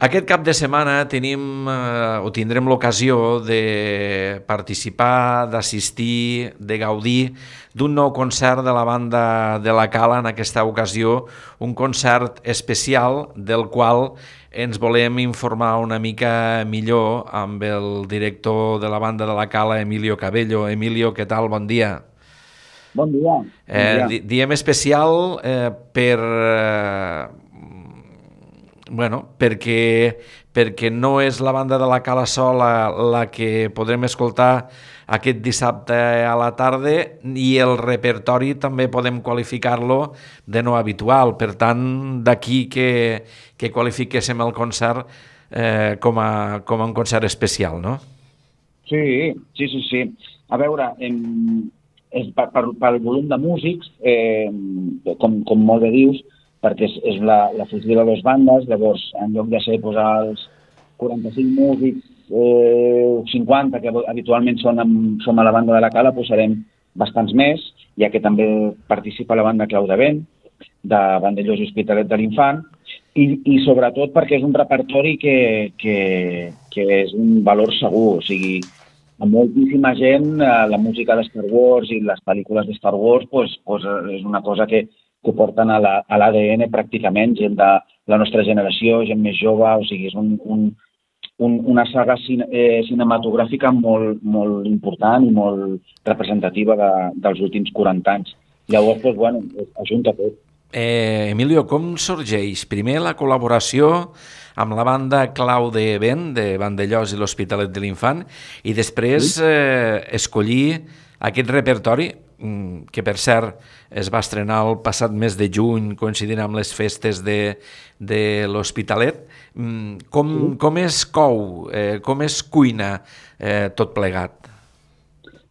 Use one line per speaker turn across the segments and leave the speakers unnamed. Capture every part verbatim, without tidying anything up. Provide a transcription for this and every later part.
Aquest cap de setmana tenim eh, o tindrem l'ocasió de participar, d'assistir, de gaudir d'un nou concert de la banda de la Cala, en aquesta ocasió un concert especial del qual ens volem informar una mica millor amb el director de la banda de la Cala, Emilio Cabello. Emilio, què tal? Bon dia.
Bon dia, bon
Eh,
dia.
di- diem especial eh, per... Eh, bueno, perquè, perquè no és la banda de la Cala sola la que podrem escoltar aquest dissabte a la tarda, i el repertori també podem qualificar-lo de no habitual. Per tant, d'aquí que, que qualifiquéssim el concert eh, com, a, com a un concert especial, no?
Sí, sí, sí, sí. A veure, em, és per, per, pel volum de músics, eh, com, com molt bé dius, perquè és, és la, la fusió de dues bandes, llavors, en lloc de ser posar els quaranta-cinc músics, eh, cinquanta, que habitualment són amb, som a la banda de la Cala, posarem bastants més, ja que també participa la banda Clau de Vent, de Vandellós i Hospitalet de l'Infant, i, i sobretot perquè és un repertori que, que, que és un valor segur, o sigui, a moltíssima gent eh, la música de Star Wars i les pel·lícules de Star Wars pues, pues, és una cosa que, que porten a l'A D N pràcticament, gent de la nostra generació, gent més jove, o sigui, és un, un, un, una saga cine, eh, cinematogràfica molt, molt important i molt representativa de, dels últims quaranta anys. Llavors, pues, bueno, ajunta tot.
Eh, Emilio, com sorgeix primer la col·laboració amb la banda Clau de Vent, de Vandellós i l'Hospitalet de l'Infant, i després eh, escollir aquest repertori, que per cert es va estrenar el passat mes de juny, coincidint amb les festes de, de l'Hospitalet. Com, com es cou, eh, com es cuina eh, tot plegat?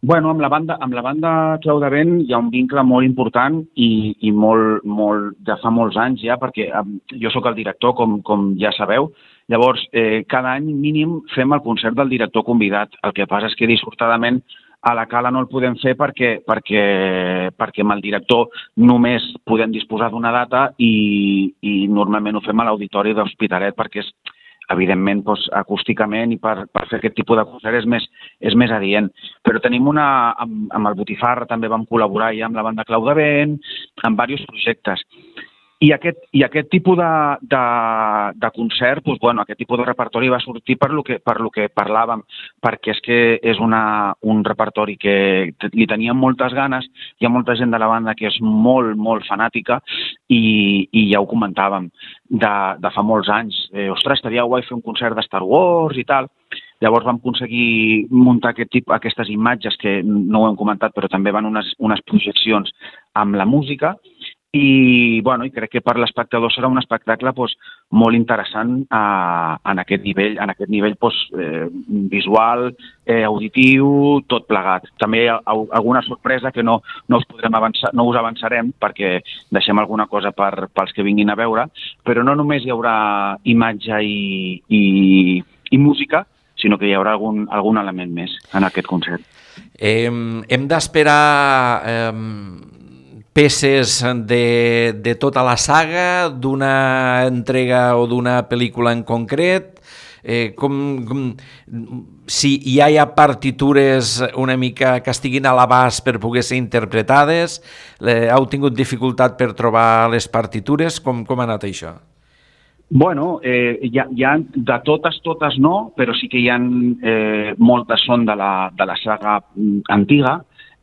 Bueno, amb la banda, amb la banda Clau de Vent hi ha un vincle molt important i, i molt, molt, de fa molts anys ja, perquè eh, jo sóc el director, com, com ja sabeu. Llavors, eh, cada any mínim fem el concert del director convidat. El que passa és que dissortadament a la Cala no el podem fer perquè, perquè, perquè amb el director només podem disposar d'una data i, i normalment ho fem a l'Auditori de l'Hospitalet perquè és, evidentment, doncs, acústicament i per, per fer aquest tipus de concert és més, és més adient. Però tenim una... Amb, amb el Botifarra també vam col·laborar ja amb la banda Clau de Vent, amb diversos projectes. I aquest, i aquest tipus de, de, de concert, doncs, bueno, aquest tipus de repertori va sortir per lo que, per lo que parlàvem, perquè és que és una, un repertori que li teníem moltes ganes, hi ha molta gent de la banda que és molt, molt fanàtica i, i ja ho comentàvem de, de fa molts anys. Eh, ostres, estaria guai fer un concert de Star Wars i tal. Llavors vam aconseguir muntar aquest tipus, aquestes imatges que no ho hem comentat, però també van unes, unes projeccions amb la música. I, bueno, i crec que per l'espectador serà un espectacle doncs, molt interessant eh, en aquest nivell, en aquest nivell doncs, eh, visual, eh, auditiu, tot plegat. També hi ha alguna sorpresa que no, no us podrem avançar, no us avançarem perquè deixem alguna cosa per, pels que vinguin a veure, però no només hi haurà imatge i, i, i música, sinó que hi haurà algun, algun element més en aquest concert.
Eh, hem d'esperar... Eh, peces de, de tota la saga, d'una entrega o d'una pel·lícula en concret, eh, com, com, si ja hi ha partitures una mica que estiguin a l'abast per poder ser interpretades, eh, heu tingut dificultat per trobar les partitures, com, com ha anat això?
Bueno, eh, hi ha, hi ha, de totes, totes no, però sí que hi ha eh, moltes són de la, de la saga antiga,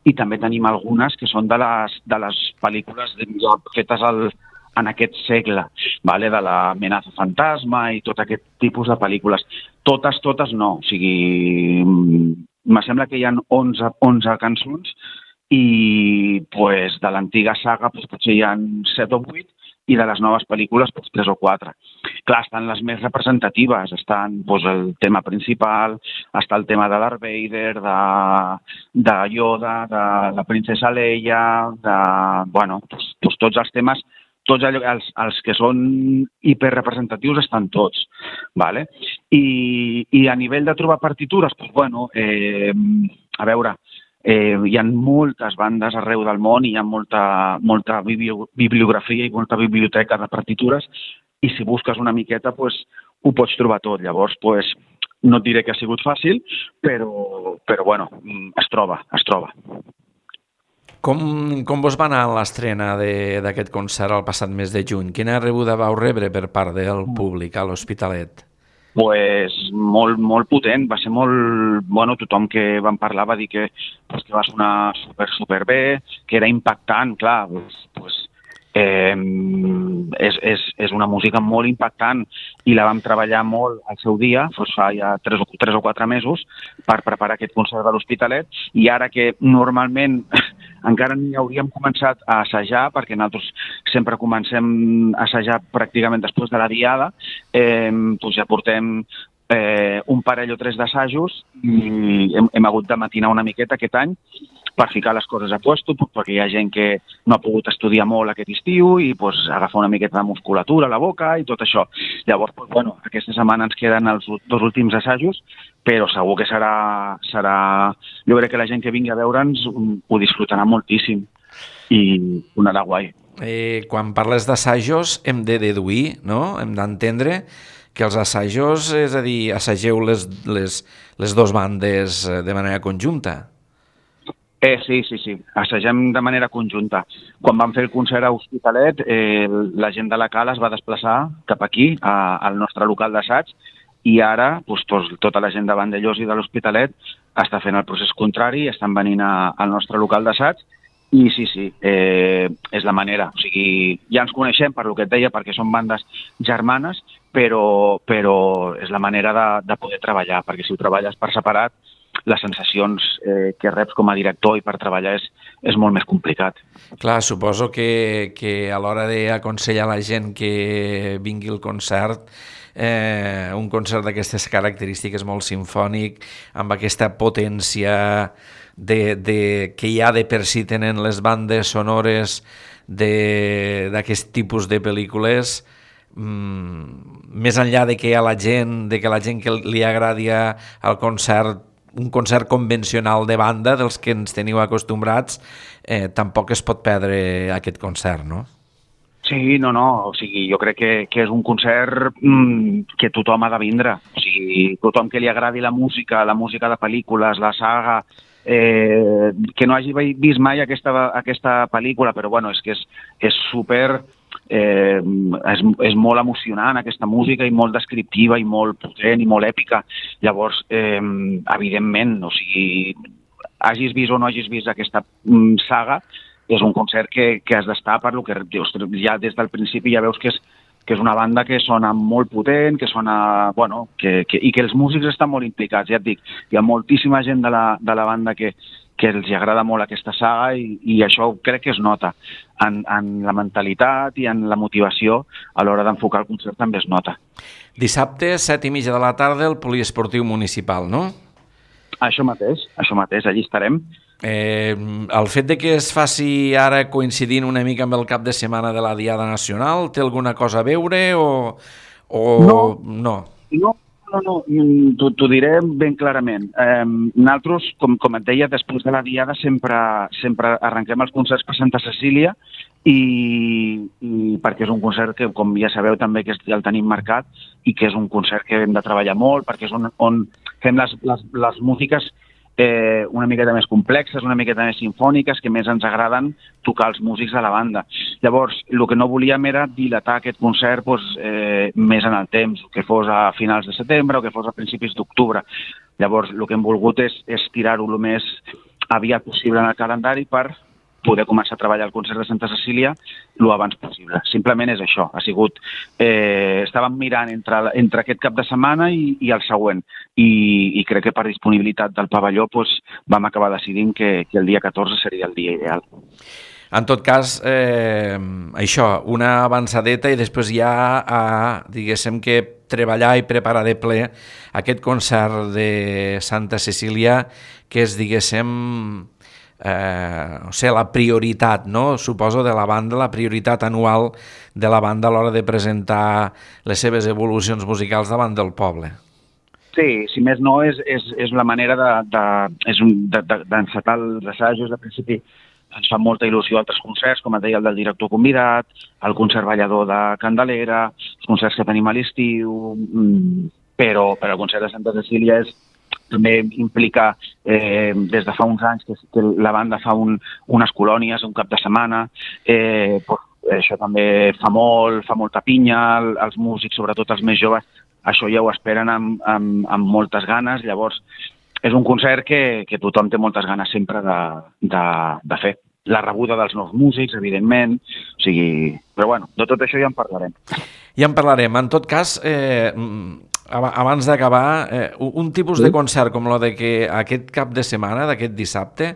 i també tenim algunes que són de les, de les pel·lícules fetes al, en aquest segle, vale? De la Amenaza Fantasma i tot aquest tipus de pel·lícules. Totes, totes no. O sigui, me sembla que hi ha onze, onze cançons i pues, de l'antiga saga pues, potser hi ha set o vuit i de les noves pel·lícules pues, tres o quatre. Clar, estan les més representatives, estan pues, el tema principal, està el tema de Darth Vader, de, de Yoda, de la princesa Leia, de, bueno, pues, pues, tots els temes, tots allò, els, els que són hiperrepresentatius estan tots, vale? I, i a nivell de trobar partitures, pues, bueno, eh, a veure, Eh, hi ha moltes bandes arreu del món i hi ha molta, molta bibliografia i molta biblioteca de partitures i si busques una miqueta pues, ho pots trobar tot. Llavors, pues, no et diré que ha sigut fàcil, però, però bueno, es troba, es troba.
Com, com vos va anar l'estrena d'aquest concert el passat mes de juny? Quina rebuda vau rebre per part del públic a l'Hospitalet?
Pues molt, molt potent, va ser molt... Bueno, tothom que vam parlar va dir que, pues, que va sonar super, super bé, que era impactant, clar, pues, pues, eh, és, és, és una música molt impactant i la vam treballar molt al seu dia, pues, fa ja tres o, tres o quatre mesos, per preparar aquest concert de l'Hospitalet, i ara que normalment encara ni hauríem començat a assajar, perquè nosaltres sempre comencem a assajar pràcticament després de la diada, eh, doncs ja portem eh, un parell o tres d'assajos i hem, hem hagut de matinar una miqueta aquest any per ficar les coses a puesto, perquè hi ha gent que no ha pogut estudiar molt aquest estiu i pues, agafar una miqueta de musculatura a la boca i tot això. Llavors, pues, bueno, aquesta setmana ens queden els dos últims assajos, però segur que serà, serà... Jo crec que la gent que vingui a veure'ns ho disfrutarà moltíssim i donarà guai.
Eh, quan parles d'assajos hem de deduir, no? Hem d'entendre que els assajos, és a dir, assageu les, les, les dues bandes de manera conjunta.
Eh, sí, sí, sí. Assagem de manera conjunta. Quan vam fer el concert a Hospitalet, eh, la gent de la Cala es va desplaçar cap aquí, a, al nostre local d'assaig, i ara doncs, tot, tota la gent de Vandellòs i de l'Hospitalet està fent el procés contrari, estan venint a, al nostre local d'assaig, i sí, sí, eh, és la manera. O sigui, ja ens coneixem per lo que et deia, perquè són bandes germanes, però, però és la manera de, de poder treballar, perquè si ho treballes per separat, les sensacions eh, que reps com a director i per treballar és, és molt més complicat.
Clar, suposo que, que a l'hora d'aconsellar a la gent que vingui al concert, eh, un concert d'aquestes característiques molt simfònic, amb aquesta potència de, de, que ja de per si tenen les bandes sonores d'aquest tipus de pel·lícules, mm, més enllà de que a la gent, de que la gent que li agradi al concert un concert convencional de banda dels que ens teniu acostumbrats, eh, tampoc es pot perdre aquest concert, no?
Sí, no, no, o sigui, jo crec que, que és un concert mmm, que tothom ha de vindre, o sigui, tothom que li agradi la música, la música de pel·lícules, la saga, eh, que no hagi vist mai aquesta, aquesta pel·lícula, però bueno, és que és, és super... Eh, és, és molt emocionant aquesta música i molt descriptiva i molt potent i molt èpica. Llavors, eh, evidentment, o sigui, hagis vist o no hagis vist aquesta mm, saga, és un concert que, que has d'estar per lo que dius, ja des del principi ja veus que és, que és una banda que sona molt potent, que sona, bueno, que, que, i que els músics estan molt implicats, ja et dic, hi ha moltíssima gent de la, de la banda que que els agrada molt aquesta saga i, i això crec que es nota en, en la mentalitat i en la motivació a l'hora d'enfocar el concert també es nota.
Dissabte, set i mitja de la tarda, el Poliesportiu Municipal, no?
Això mateix, això mateix, allí estarem.
Eh, el fet de que es faci ara coincidint una mica amb el cap de setmana de la Diada Nacional, té alguna cosa a veure o, o
no?
No,
no. No, no, t'ho diré ben clarament. Eh, nosaltres, com, com et deia, després de la Diada sempre, sempre arrenquem els concerts per Santa Cecília i, i perquè és un concert que, com ja sabeu també, que ja el tenim marcat i que és un concert que hem de treballar molt perquè és on, on fem les, les, les músiques eh, una miqueta més complexes, una miqueta més sinfòniques, que més ens agraden tocar els músics de la banda. Llavors, el que no volíem era dilatar aquest concert doncs, eh, més en el temps, que fos a finals de setembre o que fos a principis d'octubre. Llavors, el que hem volgut és, és tirar-ho el més aviat possible en el calendari per poder començar a treballar el concert de Santa Cecília el abans possible. Simplement és això. Ha sigut... Eh, estàvem mirant entre, entre aquest cap de setmana i, i el següent. I, I crec que per disponibilitat del pavelló doncs, vam acabar decidint que, que el dia catorze seria el dia ideal.
En tot cas, eh, això, una avançadeta i després ja a, diguéssim que treballar i preparar de ple aquest concert de Santa Cecília que és, diguéssim, Eh, o sigui, la prioritat, no? Suposo, de la banda, la prioritat anual de la banda a l'hora de presentar les seves evolucions musicals davant del poble.
Sí, si més no, és, és, és la manera de, de, és un, de, de, d'encetar els assajos de principi ens fa molta il·lusió altres concerts, com et deia, el del director convidat, el concert ballador de Candelera, els concerts que tenim a l'estiu, però, però el concert de Santa Cecília és, també implica, eh, des de fa uns anys, que, que la banda fa un, unes colònies, un cap de setmana, eh, pues, això també fa molt, fa molta pinya, els músics, sobretot els més joves, això ja ho esperen amb, amb, amb moltes ganes, llavors és un concert que, que tothom té moltes ganes sempre de, de, de fer. La rebuda dels nous músics, evidentment, o sigui... Però bueno, de tot això ja en parlarem.
Ja en parlarem. En tot cas, eh, abans d'acabar, eh, un tipus de concert com el de que aquest cap de setmana, d'aquest dissabte,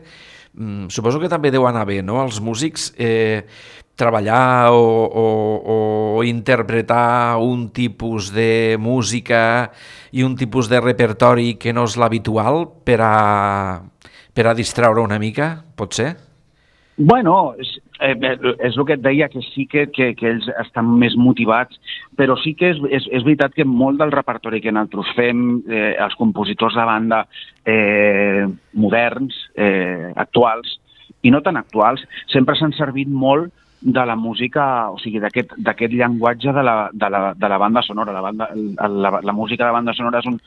suposo que també deu anar bé, no?, els músics eh, treballar o, o, o interpretar un tipus de música i un tipus de repertori que no és l'habitual per a, per a distraure una mica, pot ser?
Bueno, és, eh, és el que et deia, que sí que, que, que ells estan més motivats, però sí que és, és, és veritat que molt del repertori que nosaltres fem, eh, els compositors de banda eh, moderns, eh, actuals, i no tan actuals, sempre s'han servit molt de la música, o sigui, d'aquest d'aquest llenguatge de la, de, la, de la banda sonora. La, banda, la, la música de banda sonora és un,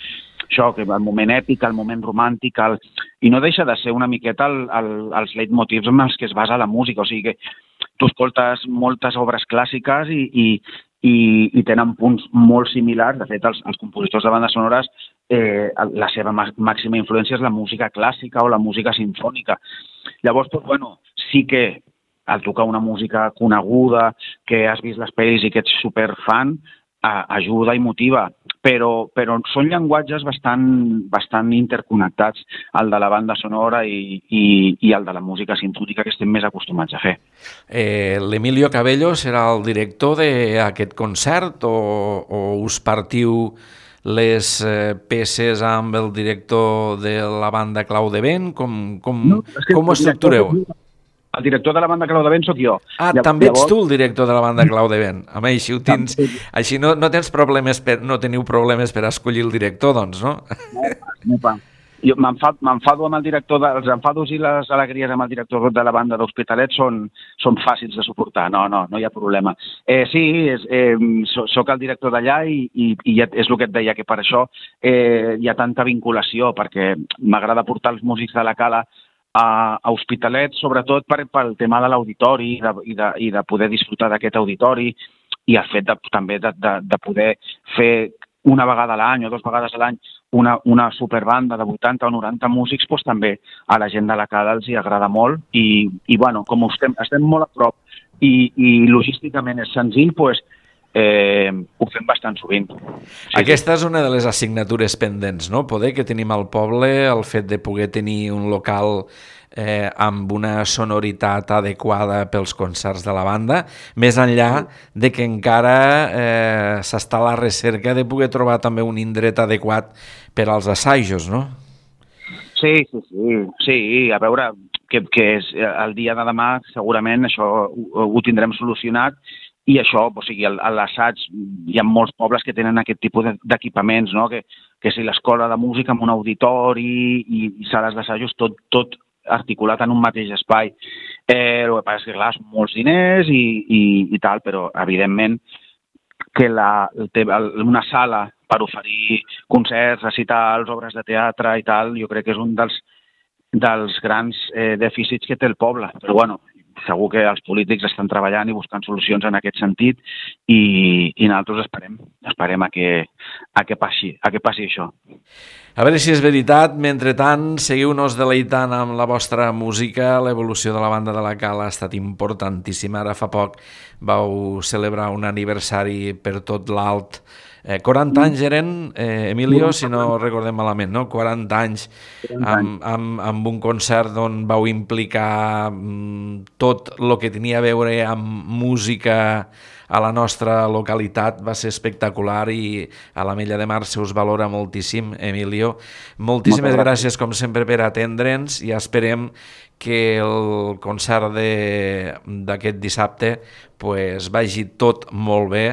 això, que el moment èpic, el moment romàntic, el, i no deixa de ser una miqueta el, el, els leitmotivs amb els que es basa la música. O sigui que tu escoltes moltes obres clàssiques i, i, i, i tenen punts molt similars. De fet, els, els compositors de bandes sonores, eh, la seva màxima influència és la música clàssica o la música sinfònica. Llavors, doncs, bueno, sí que al tocar una música coneguda, que has vist les pel·lis i que ets superfan, ajuda i motiva, però, però són llenguatges bastant, bastant interconnectats, el de la banda sonora i, i, i el de la música sinfònica, que estem més acostumats a fer.
Eh, L'Emilio Cabello serà el director d'aquest concert o, o us partiu les eh, peces amb el director de la banda Clau de Vent? Com, com, no, com ho estructureu?
El director de la banda Clau de Vent sóc jo.
Ah, Llavors... també ets tu el director de la banda Clau de Vent. Home, així ho tens... Així no, no tens problemes per, no teniu problemes per escollir el director, doncs, no?
No, no pa. Jo m'enfado amb el director, de, els enfados i les alegries amb el director de la banda d'Hospitalet són, són fàcils de suportar, no, no, no hi ha problema. Eh, sí, és, eh, soc el director d'allà i, i, i és el que et deia, que per això eh, hi ha tanta vinculació, perquè m'agrada portar els músics de la Cala a Hospitalet, sobretot per, pel tema de l'auditori i, de, i, de, i de poder disfrutar d'aquest auditori i el fet de, també de, de, de poder fer una vegada a l'any o dues vegades a l'any una, una superbanda de vuitanta o noranta músics, doncs també a la gent de la Cala els hi agrada molt i, i bueno, com estem, estem molt a prop i, i logísticament és senzill, doncs Eh, ho fem bastant sovint. Sí,
Aquesta és una de les assignatures pendents, no? Poder que tenim al poble, el fet de poder tenir un local eh, amb una sonoritat adequada pels concerts de la banda, més enllà de que encara eh, s'està a la recerca de poder trobar també un indret adequat per als assajos, no?
Sí, sí, sí, sí, a veure, que, que és, el dia de demà segurament això ho, ho tindrem solucionat. I això, o sigui, a l'assaig hi ha molts pobles que tenen aquest tipus d'equipaments, no? que, que si l'escola de música amb un auditori i, i sales d'assajos, tot, tot articulat en un mateix espai. Eh, el que passa és que, clar, són molts diners i, i, i tal, però, evidentment, que la, una sala per oferir concerts, recitals, obres de teatre i tal, jo crec que és un dels, dels grans eh, dèficits que té el poble. Però, bueno, segur que els polítics estan treballant i buscant solucions en aquest sentit i, i nosaltres esperem, esperem a que, a que passi, a que passi això.
A veure si és veritat. Mentre tant, seguiu-nos deleitant amb la vostra música. L'evolució de la banda de la Cala ha estat importantíssima. Ara fa poc vau celebrar un aniversari per tot l'alt. Eh, quaranta anys eren, eh, Emilio, si no recordem malament, no? quaranta anys amb, amb, amb un concert on vau implicar mm, tot el que tenia a veure amb música a la nostra localitat. Va ser espectacular i a l'Ametlla de Mar se us valora moltíssim, Emilio. Moltíssimes gràcies, com sempre, per atendre'ns i esperem que el concert d'aquest dissabte pues, vagi tot molt bé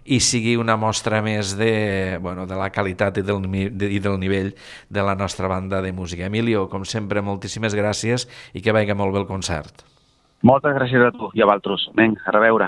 i sigui una mostra més de, bueno, de la qualitat i del, de, i del nivell de la nostra banda de música. Emilio, com sempre, moltíssimes gràcies i que vagi molt bé el concert.
Moltes gràcies a tu i a vosaltres. Vinga, a reveure.